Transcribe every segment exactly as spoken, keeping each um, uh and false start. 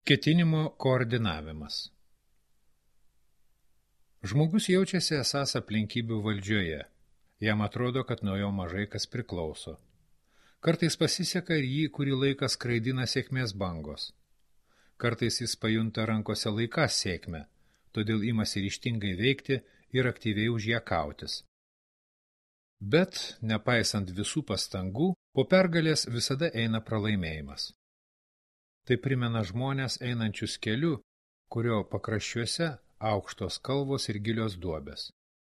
Ketinimo koordinavimas. Žmogus jaučiasi esąs aplinkybių valdžioje. Jam atrodo, kad nuo jo mažai kas priklauso. Kartais pasiseka ir jį kurį laiką skraidina sėkmės bangos. Kartais jis pajunta rankose laikas sėkmę, todėl imasi ryžtingai veikti ir aktyviai už ją kautis. Bet, nepaisant visų pastangų, po pergalės visada eina pralaimėjimas. Tai primena žmonės einančius keliu, kurio pakraščiuose aukštos kalvos ir gilios duobės.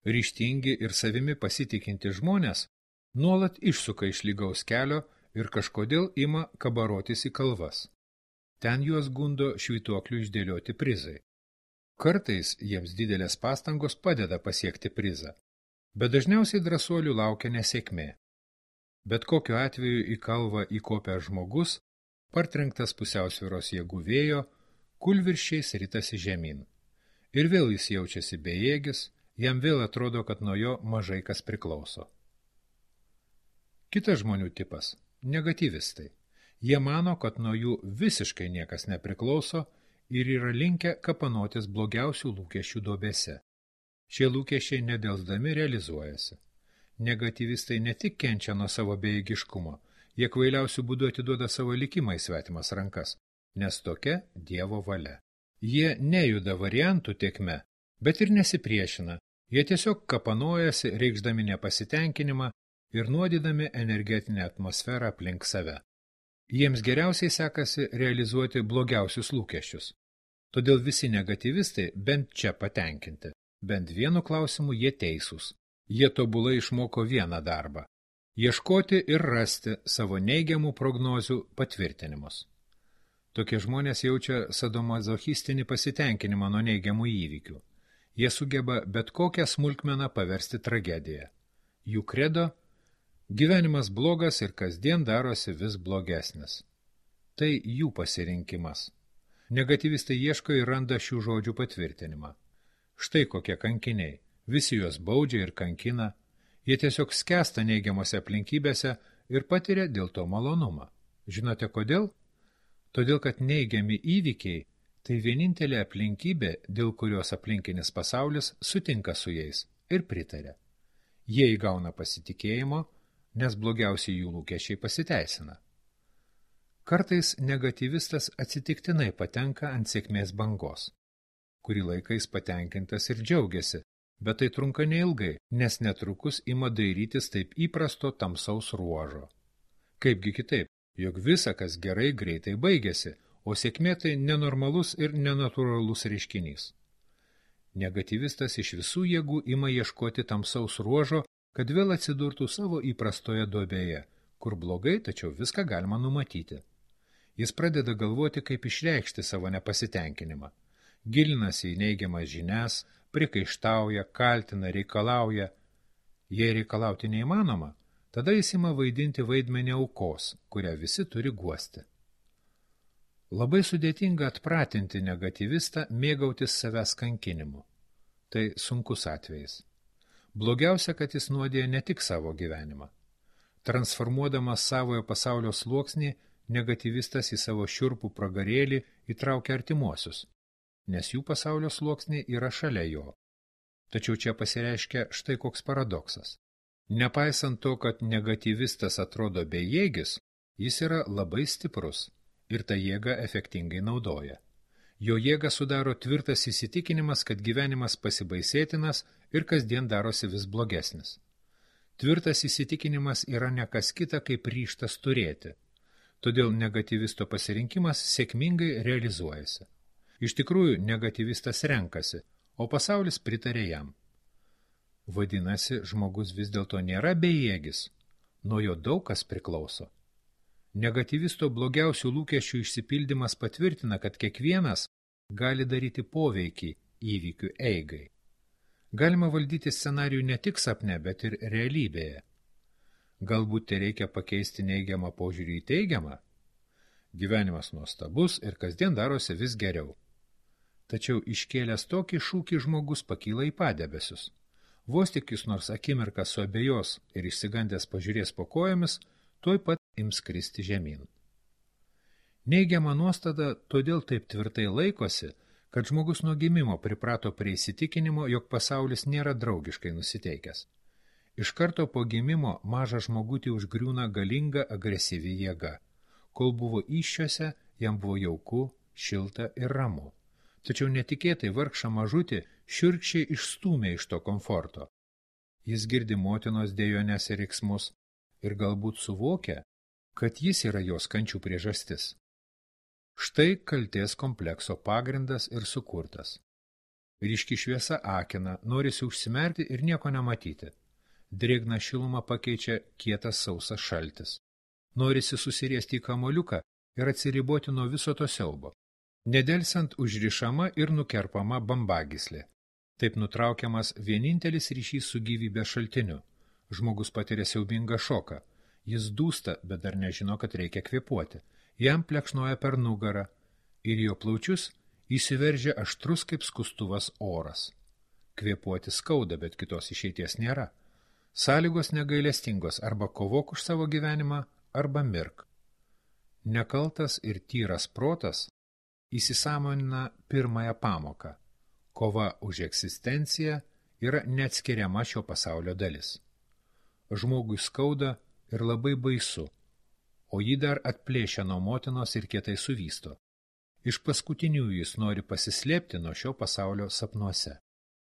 Ryžtingi ir savimi pasitikinti žmonės nuolat išsuka iš lygaus kelio ir kažkodėl ima kabarotis į kalvas. Ten juos gundo švytuoklių išdėlioti prizai. Kartais jiems didelės pastangos padeda pasiekti prizą, bet dažniausiai drąsuolių laukia nesėkmė. Bet kokiu atveju į kalvą įkopęs žmogus, partrenktas pusiausvyros jėgų vėjo, kūlvirsčiais ritasi žemyn. Ir vėl jis jaučiasi bejėgis, jam vėl atrodo, kad nuo jo mažai kas priklauso. Kitas žmonių tipas – negatyvistai. Jie mano, kad nuo jų visiškai niekas nepriklauso ir yra linkę kapanotis blogiausių lūkesčių duobėse. Šie lūkesčiai nedelsdami realizuojasi. Negatyvistai ne tik kenčia nuo savo bejėgiškumo, jie kvailiausių būdų atiduoda savo likimą į svetimas rankas, nes tokia Dievo valia. Jie nejuda variantų tėkme, bet ir nesipriešina, jie tiesiog kapanojasi, reikšdami nepasitenkinimą ir nuodydami energetinę atmosferą aplink save. Jiems geriausiai sekasi realizuoti blogiausius lūkesčius. Todėl visi negatyvistai bent čia patenkinti, bent vienu klausimu jie teisūs. Jie tobulai išmoko vieną darbą – ieškoti ir rasti savo neigiamų prognozių patvirtinimus. Tokie žmonės jaučia sadomazochistinį pasitenkinimą nuo neigiamų įvykių. Jie sugeba bet kokią smulkmeną paversti tragediją. Jų kredo – gyvenimas blogas ir kasdien darosi vis blogesnis. Tai jų pasirinkimas. Negatyvistai ieško ir randa šių žodžių patvirtinimą. Štai kokie kankiniai. Visi juos baudžia ir kankina. Jie tiesiog skęsta neigiamose aplinkybėse ir patiria dėl to malonumą. Žinote kodėl? Todėl, kad neigiami įvykiai – tai vienintelė aplinkybė, dėl kurios aplinkinis pasaulis sutinka su jais ir pritaria. Jie įgauna pasitikėjimo, nes blogiausiai jų lūkesčiai pasiteisina. Kartais negatyvistas atsitiktinai patenka ant sėkmės bangos. Kurį laiką jis patenkintas ir džiaugiasi, bet tai trunka neilgai, nes netrukus ima dairytis taip įprasto tamsaus ruožo. Kaipgi kitaip, jog visa, kas gerai, greitai baigėsi, o sėkmė tai nenormalus ir nenatūralus reiškinys. Negatyvistas iš visų jėgų ima ieškoti tamsaus ruožo, kad vėl atsidurtų savo įprastoje duobėje, kur blogai, tačiau viską galima numatyti. Jis pradeda galvoti, kaip išreikšti savo nepasitenkinimą. Gilinasi į neigiamas žinias, prikaištauja, kaltina, reikalauja. Jei reikalauti neįmanoma, tada jis ima vaidinti vaidmenį aukos, kurią visi turi guosti. Labai sudėtinga atpratinti negatyvistą mėgautis savęs kankinimu. Tai sunkus atvejis. Blogiausia, kad jis nuodėja ne tik savo gyvenimą. Transformuodamas savojo pasaulio sluoksnį, negatyvistas į savo šiurpų pragarėlį įtraukia artimuosius, nes jų pasaulio sluoksniai yra šalia jo. Tačiau čia pasireiškia štai koks paradoksas. Nepaisant to, kad negatyvistas atrodo bejėgis, jis yra labai stiprus ir tą jėgą efektingai naudoja. Jo jėgą sudaro tvirtas įsitikinimas, kad gyvenimas pasibaisėtinas ir kasdien darosi vis blogesnis. Tvirtas įsitikinimas yra ne kas kita, kaip ryžtas turėti. Todėl negatyvisto pasirinkimas sėkmingai realizuojasi. Iš tikrųjų, negatyvistas renkasi, o pasaulis pritarė jam. Vadinasi, žmogus vis dėlto nėra bejėgis, nuo jo daug kas priklauso. Negatyvisto blogiausių lūkesčių išsipildymas patvirtina, kad kiekvienas gali daryti poveikį įvykių eigai. Galima valdyti scenarijų ne tik sapne, bet ir realybėje. Galbūt tai reikia pakeisti neigiamą požiūrį į teigiamą? Gyvenimas nuostabus ir kasdien darosi vis geriau. Tačiau iškėlęs tokį šūkį žmogus pakyla į padebesius. Vos tik jis nors akimirką suabejos ir išsigandęs pažiūrės po kojomis, tuoj pat ims kristi žemyn. Neigiama nuostata todėl taip tvirtai laikosi, kad žmogus nuo gimimo priprato prie įsitikinimo, jog pasaulis nėra draugiškai nusiteikęs. Iš karto po gimimo mažą žmogutį užgriūna galinga agresyvi jėga. Kol buvo įsčiose, jam buvo jauku, šilta ir ramu. Tačiau netikėtai vargšą mažutį šiurkščiai išstūmė iš to komforto. Jis girdi motinos dejones ir riksmus ir galbūt suvokia, kad jis yra jos kančių priežastis. Štai kaltės komplekso pagrindas ir sukurtas. Ryški šviesa akina, norisi užsimerkti ir nieko nematyti. Drėgną šilumą pakeičia kietas sausas šaltis. Norisi susiriesti į kamoliuką ir atsiriboti nuo viso to siaubo. Nedelsiant užrišama ir nukerpama bambagyslė. Taip nutraukiamas vienintelis ryšys su gyvybės šaltiniu. Žmogus patiria siaubingą šoką. Jis dūsta, bet dar nežino, kad reikia kvėpuoti. Jam plekšnoja per nugarą ir jo plaučius įsiveržia aštrus kaip skustuvas oras. Kvėpuoti skauda, bet kitos išeities nėra. Sąlygos negailestingos, arba kovok už savo gyvenimą, arba mirk. Nekaltas ir tyras protas įsisąmonina pirmąją pamoką. Kova už egzistenciją yra neatskiriama šio pasaulio dalis. Žmogui skauda ir labai baisu, o jį dar atplėšia nuo motinos ir kietai suvysto. Iš paskutinių jis nori pasislėpti nuo šio pasaulio sapnuose.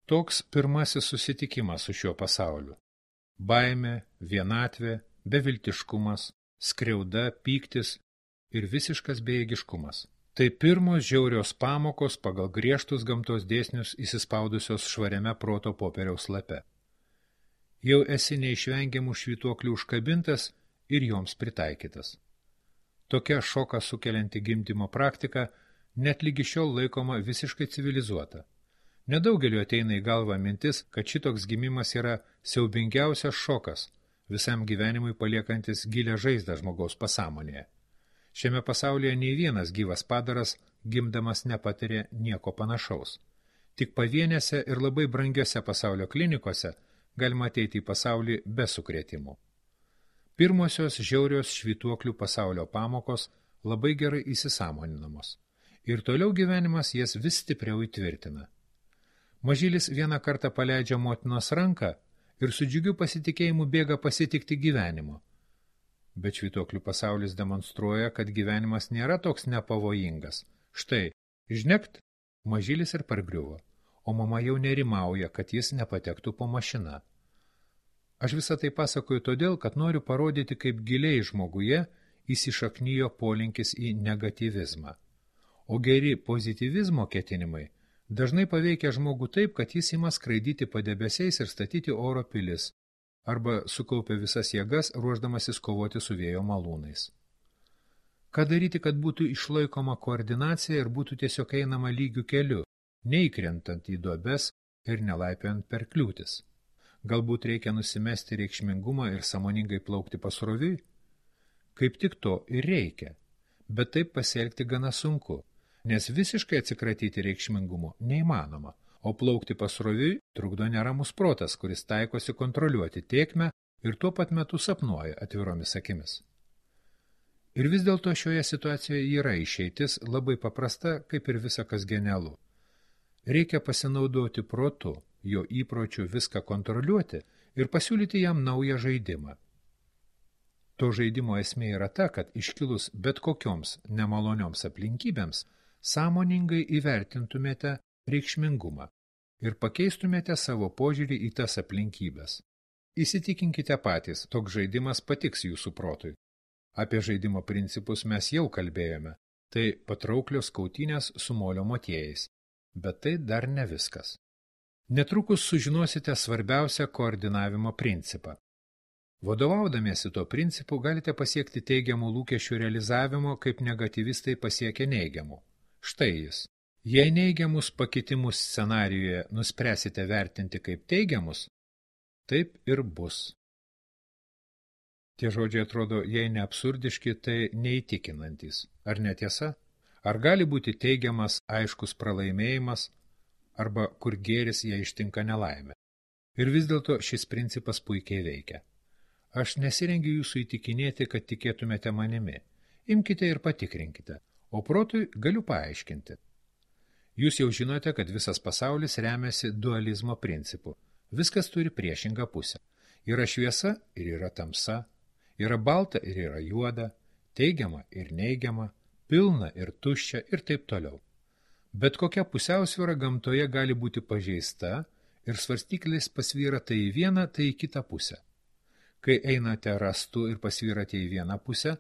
Toks pirmasis susitikimas su šiuo pasauliu. Baimė, vienatvė, beviltiškumas, skriauda, pyktis ir visiškas bejėgiškumas. Tai pirmos žiaurios pamokos pagal griežtus gamtos dėsnius įsispaudusios švariame proto popieriaus lape. Jau esi neišvengiamų švytuoklių užkabintas ir joms pritaikytas. Tokia šoką sukelianti gimdymo praktika net lygi šiol laikoma visiškai civilizuota. Nedaugeliu ateina į galvą mintis, kad šitoks gimimas yra siaubingiausias šokas, visam gyvenimui paliekantis gilią žaizdą žmogaus pasąmonėje. Šiame pasaulyje nei vienas gyvas padaras gimdamas nepatiria nieko panašaus. Tik pavienėse ir labai brangiose pasaulio klinikose galima ateiti į pasaulį be sukrėtimų. Pirmosios žiaurios švytuoklių pasaulio pamokos labai gerai įsisąmoninamos. Ir toliau gyvenimas jas vis stipriau įtvirtina. Mažylis vieną kartą paleidžia motinos ranką ir su džiugiu pasitikėjimu bėga pasitikti gyvenimo. Bet švytuoklių pasaulis demonstruoja, kad gyvenimas nėra toks nepavojingas. Štai, žnekt, mažylis ir pargriuvo, o mama jau nerimauja, kad jis nepatektų po mašiną. Aš visą tai pasakoju todėl, kad noriu parodyti, kaip giliai žmoguje įsišaknijo polinkis į negatyvizmą. O geri pozityvizmo ketinimai dažnai paveikia žmogų taip, kad jis ima skraidyti padebesiais ir statyti oro pilis, arba sukaupia visas jėgas, ruošdamasis kovoti su vėjo malūnais. Ką daryti, kad būtų išlaikoma koordinacija ir būtų tiesiog einama lygių keliu, neįkrentant į duobes ir nelaipiant per kliūtis? Galbūt reikia nusimesti reikšmingumą ir sąmoningai plaukti pasroviui? Kaip tik to ir reikia, bet taip pasielgti gana sunku. Nes visiškai atsikratyti reikšmingumo neįmanoma, o plaukti pasroviui trukdo neramus protas, kuris taikosi kontroliuoti tėkmę ir tuo pat metu sapnuoja atviromis akimis. Ir vis dėlto šioje situacijoje yra išeitis labai paprasta, kaip ir visa kas genialu. Reikia pasinaudoti protu, jo įpročiu viską kontroliuoti ir pasiūlyti jam naują žaidimą. To žaidimo esmė yra ta, kad iškilus bet kokioms nemalonioms aplinkybėms sąmoningai įvertintumėte reikšmingumą ir pakeistumėte savo požiūrį į tas aplinkybės. Įsitikinkite patys, toks žaidimas patiks jūsų protui. Apie žaidimo principus mes jau kalbėjome, tai patrauklios kautynės su molio motiejais, bet tai dar ne viskas. Netrukus sužinosite svarbiausią koordinavimo principą. Vadovaudamiesi tuo principu galite pasiekti teigiamų lūkesčių realizavimo, kaip negatyvistai pasiekia neigiamų. Štai jis. Jei neigiamus pakitimus scenarijoje nuspręsite vertinti kaip teigiamus, taip ir bus. Tie žodžiai atrodo, jei ne absurdiški, tai neįtikinantys. Ar netiesa? Ar gali būti teigiamas aiškus pralaimėjimas, arba kur gėris jei ištinka nelaimė? Ir vis dėlto šis principas puikiai veikia. Aš nesirengiu jūsų įtikinėti, kad tikėtumėte manimi. Imkite ir patikrinkite, o protui galiu paaiškinti. Jūs jau žinote, kad visas pasaulis remiasi dualizmo principu. Viskas turi priešingą pusę. Yra šviesa ir yra tamsa, yra balta ir yra juoda, teigiama ir neigiama, pilna ir tuščia ir taip toliau. Bet kokia pusiausvyra gamtoje gali būti pažeista ir svarstyklis pasvyra tai į vieną, tai į kitą pusę. Kai einate rastu ir pasvyrate į vieną pusę,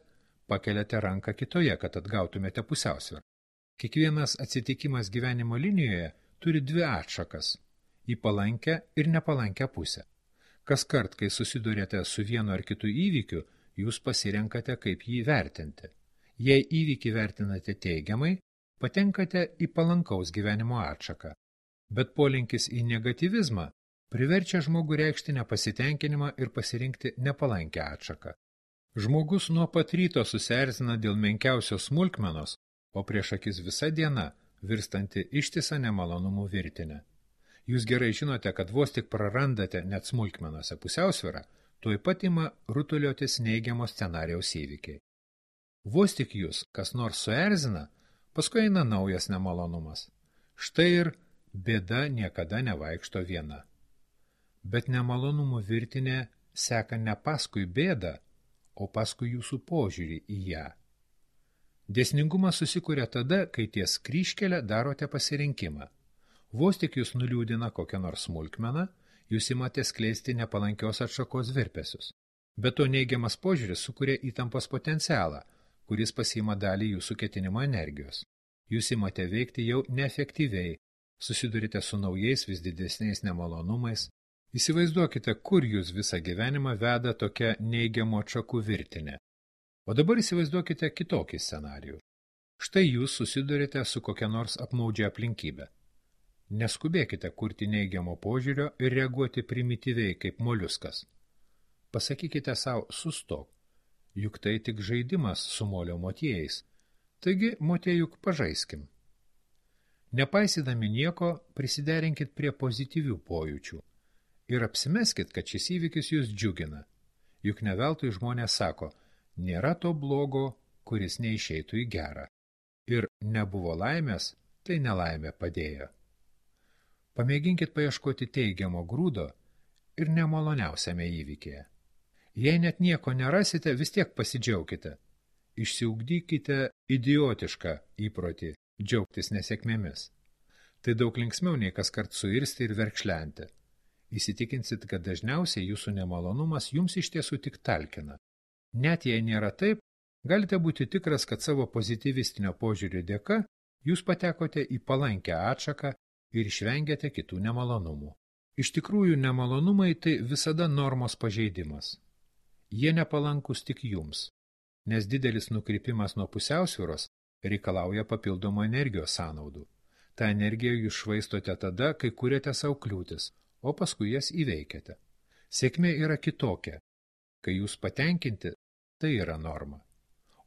pakeliate ranką kitoje, kad atgautumėte pusiausvyrą. Kiekvienas atsitikimas gyvenimo linijoje turi dvi atšakas – į palankę ir nepalankę pusę. Kas kart, kai susidurėte su vienu ar kitu įvykiu, jūs pasirenkate, kaip jį vertinti. Jei įvykį vertinate teigiamai, patenkate į palankaus gyvenimo atšaką. Bet polinkis į negatyvizmą priverčia žmogų reikšti nepasitenkinimą ir pasirinkti nepalankę atšaką. Žmogus nuo pat ryto susierzina dėl menkiausios smulkmenos, o prieš akis visa diena virstanti ištisą nemalonumų virtinę. Jūs gerai žinote, kad vos tik prarandate net smulkmenose pusiausvyrą, tuoj pat ima rutuliotis neigiamo scenarijaus įvykiai. Vos tik jūs kas nors suerzina, paskui eina naujas nemalonumas. Štai ir bėda niekada nevaikšto viena. Bet nemalonumų virtinė seka ne paskui bėdą, o paskui jūsų požiūrį į ją. Dėsningumas susikuria tada, kai ties kryžkelę darote pasirinkimą. Vos tik jūs nuliūdina kokią nors smulkmeną, jūs imate skleisti nepalankios atšakos virpesius. Bet to neigiamas požiūris sukuria įtampos potencialą, kuris pasiima dalį jūsų ketinimo energijos. Jūs imate veikti jau neefektyviai, susidurite su naujais vis didesniais nemalonumais. Įsivaizduokite, kur jūs visą gyvenimą veda tokia neigiamo atšakų virtinė. O dabar įsivaizduokite kitokį scenarijų. Štai jūs susidurite su kokia nors apmaudžia aplinkybė. Neskubėkite kurti neigiamo požiūrio ir reaguoti primityviai kaip moliuskas. Pasakykite savo sustok, juk tai tik žaidimas su molio motiejais, taigi motiejuk pažaiskim. Nepaisydami nieko, prisiderinkit prie pozityvių pojūčių ir apsimeskit, kad šis įvykis jūs džiugina. Juk ne veltui žmonės sako, nėra to blogo, kuris neišeitų į gerą. Ir nebuvo laimės, tai nelaimė padėjo. Pamėginkit paieškoti teigiamo grūdo ir nemaloniausiame įvykėje. Jei net nieko nerasite, vis tiek pasidžiaukite. Išsiugdykite idiotišką įprotį džiaugtis nesėkmėmis. Tai daug linksmiau nei kas kart suirsti ir verkšlenti. Įsitikinsit, kad dažniausiai jūsų nemalonumas jums iš tiesų tik talkina. Net jei nėra taip, galite būti tikras, kad savo pozityvistinio požiūrio dėka jūs patekote į palankę atšaką ir išvengėte kitų nemalonumų. Iš tikrųjų, nemalonumai tai visada normos pažeidimas. Jie nepalankus tik jums, nes didelis nukrypimas nuo pusiausvyros reikalauja papildomų energijos sąnaudų. Ta energiją jūs švaistote tada, kai kuriate savo kliūtis, o paskui jas įveikiate. Sėkmė yra kitokia. Kai jūs patenkinti, tai yra norma.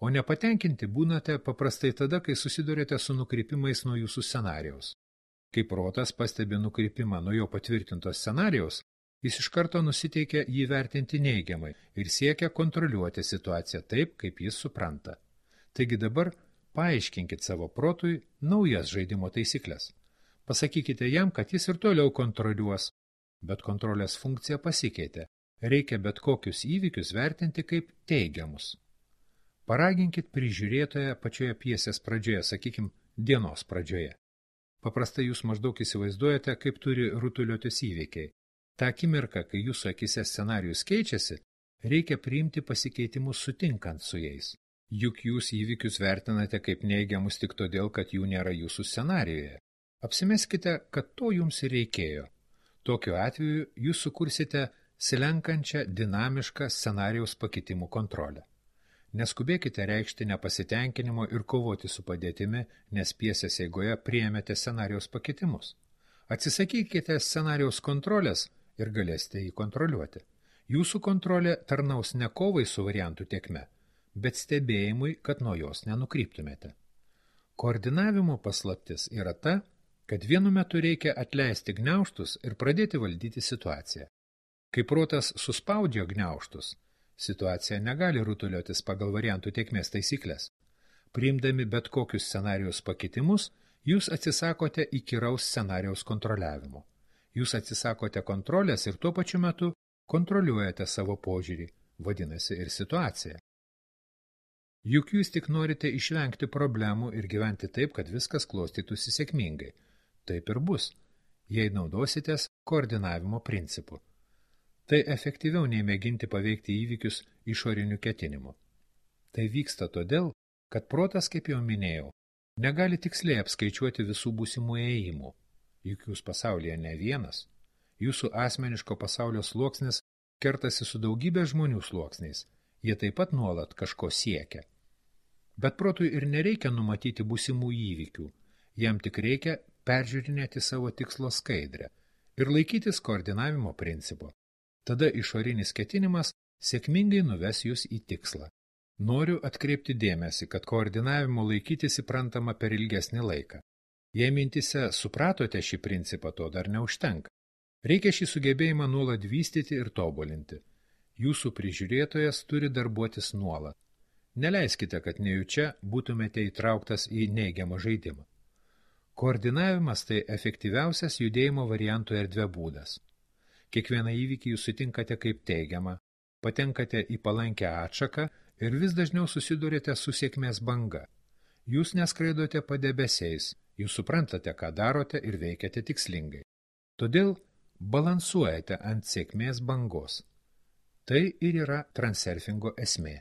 O nepatenkinti būnate paprastai tada, kai susidurėte su nukrypimais nuo jūsų scenarijaus. Kai protas pastebi nukrypimą nuo jo patvirtintos scenarijaus, jis iš karto nusiteikia jį vertinti neigiamai ir siekia kontroliuoti situaciją taip, kaip jis supranta. Taigi dabar paaiškinkit savo protui naujas žaidimo taisyklės. Pasakykite jam, kad jis ir toliau kontroliuos, bet kontrolės funkcija pasikeitė. Reikia bet kokius įvykius vertinti kaip teigiamus. Paraginkit prižiūrėtoją pačioje pjesės pradžioje, sakykim, dienos pradžioje. Paprastai jūs maždaug įsivaizduojate, kaip turi rutuliotis įvykiai. Ta akimirka, kai jūsų akise scenarijus keičiasi, reikia priimti pasikeitimus sutinkant su jais. Juk jūs įvykius vertinate kaip neigiamus tik todėl, kad jų nėra jūsų scenarijoje. Apsimeskite, kad to jums ir reikėjo. Tokiu atveju jūs sukursite slenkančią dinamišką scenarijaus pakitimų kontrolę. Neskubėkite reikšti nepasitenkinimo ir kovoti su padėtimi, nes pjesės eigoje priėmėte scenarijaus pakitimus. Atsisakykite scenarijaus kontrolės ir galėsite jį kontroliuoti. Jūsų kontrolė tarnaus ne kovai su variantų tėkme, bet stebėjimui, kad nuo jos nenukryptumėte. Koordinavimo paslaptis yra ta, kad vienu metu reikia atleisti gniaužtus ir pradėti valdyti situaciją. Kai protas suspaudžia gniaužtus, Situacija negali rutuliotis pagal variantų tėkmės taisyklės. Priimdami bet kokius scenarijos pakitimus, jūs atsisakote įkyraus scenarijaus kontroliavimo. Jūs atsisakote kontrolės ir tuo pačiu metu kontroliuojate savo požiūrį, vadinasi ir situaciją. Juk jūs tik norite išvengti problemų ir gyventi taip, kad viskas klostytųsi sėkmingai. Taip ir bus, jei naudositės koordinavimo principu. Tai efektyviau nei mėginti paveikti įvykius išoriniu ketinimu. Tai vyksta todėl, kad protas, kaip jau minėjau, negali tiksliai apskaičiuoti visų būsimų ėjimų. Juk jūs pasaulyje ne vienas. Jūsų asmeniško pasaulio sluoksnis kertasi su daugybė žmonių sluoksniais. Jie taip pat nuolat kažko siekia. Bet protui ir nereikia numatyti būsimų įvykių. Jam tik reikia peržiūrinėti savo tikslo skaidrę ir laikytis koordinavimo principo. Tada išorinis ketinimas sėkmingai nuves jūs į tikslą. Noriu atkreipti dėmesį, kad koordinavimo laikytis įprantama per ilgesnį laiką. Jei mintise supratote šį principą, to dar neužtenka. Reikia šį sugebėjimą nuolat vystyti ir tobulinti. Jūsų prižiūrėtojas turi darbuotis nuolat. Neleiskite, kad nejučia būtumėte įtrauktas į neigiamą žaidimą. Koordinavimas tai efektyviausias judėjimo variantų erdvė būdas. Kiekvieną įvykį jūs sutinkate kaip teigiamą, patenkate į palankę atšaką ir vis dažniau susidurite su sėkmės banga. Jūs neskraidote padebesiais, jūs suprantate, ką darote ir veikiate tikslingai. Todėl balansuojate ant sėkmės bangos. Tai ir yra transurfingo esmė.